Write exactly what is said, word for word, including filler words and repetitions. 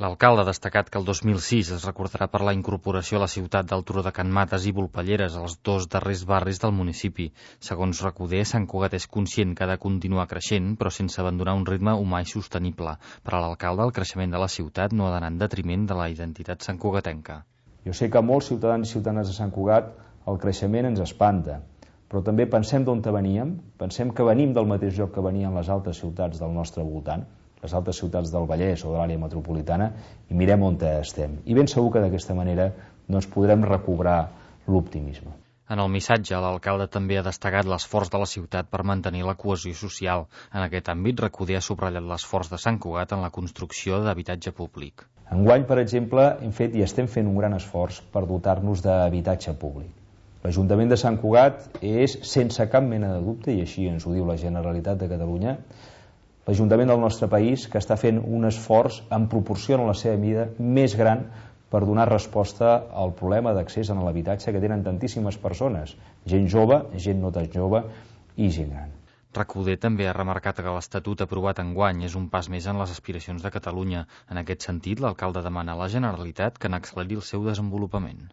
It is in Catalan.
L'alcalde ha destacat que el dos mil sis es recordarà per la incorporació a la ciutat del Turó de Can Mates i Volpelleres, els dos darrers barris del municipi. Segons Recoder, Sant Cugat és conscient que ha de continuar creixent, però sense abandonar un ritme humà i sostenible. Per a l'alcalde, el creixement de la ciutat no ha d'anar en detriment de la identitat santcugatenca. Jo sé que a molts ciutadans i ciutadanes de Sant Cugat el creixement ens espanta, però també pensem d'on veníem, pensem que venim del mateix lloc que venien les altres ciutats del nostre voltant, les altres ciutats del Vallès o de l'àrea metropolitana, i mirem on estem. I ben segur que d'aquesta manera doncs, podrem recobrar l'optimisme. En el missatge, l'alcalde també ha destacat l'esforç de la ciutat per mantenir la cohesió social. En aquest àmbit, Recoder ha subratllat l'esforç de Sant Cugat en la construcció d'habitatge públic. Enguany, per exemple, hem fet i estem fent un gran esforç per dotar-nos d'habitatge públic. L'Ajuntament de Sant Cugat és, sense cap mena de dubte, i així ens ho diu la Generalitat de Catalunya, l'Ajuntament del nostre país que està fent un esforç en proporció a la seva mida més gran per donar resposta al problema d'accés a l'habitatge que tenen tantíssimes persones, gent jove, gent no tan jove i gent gran. Recoder també ha remarcat que l'Estatut aprovat enguany és un pas més en les aspiracions de Catalunya. En aquest sentit, l'alcalde demana a la Generalitat que n'acceleri el seu desenvolupament.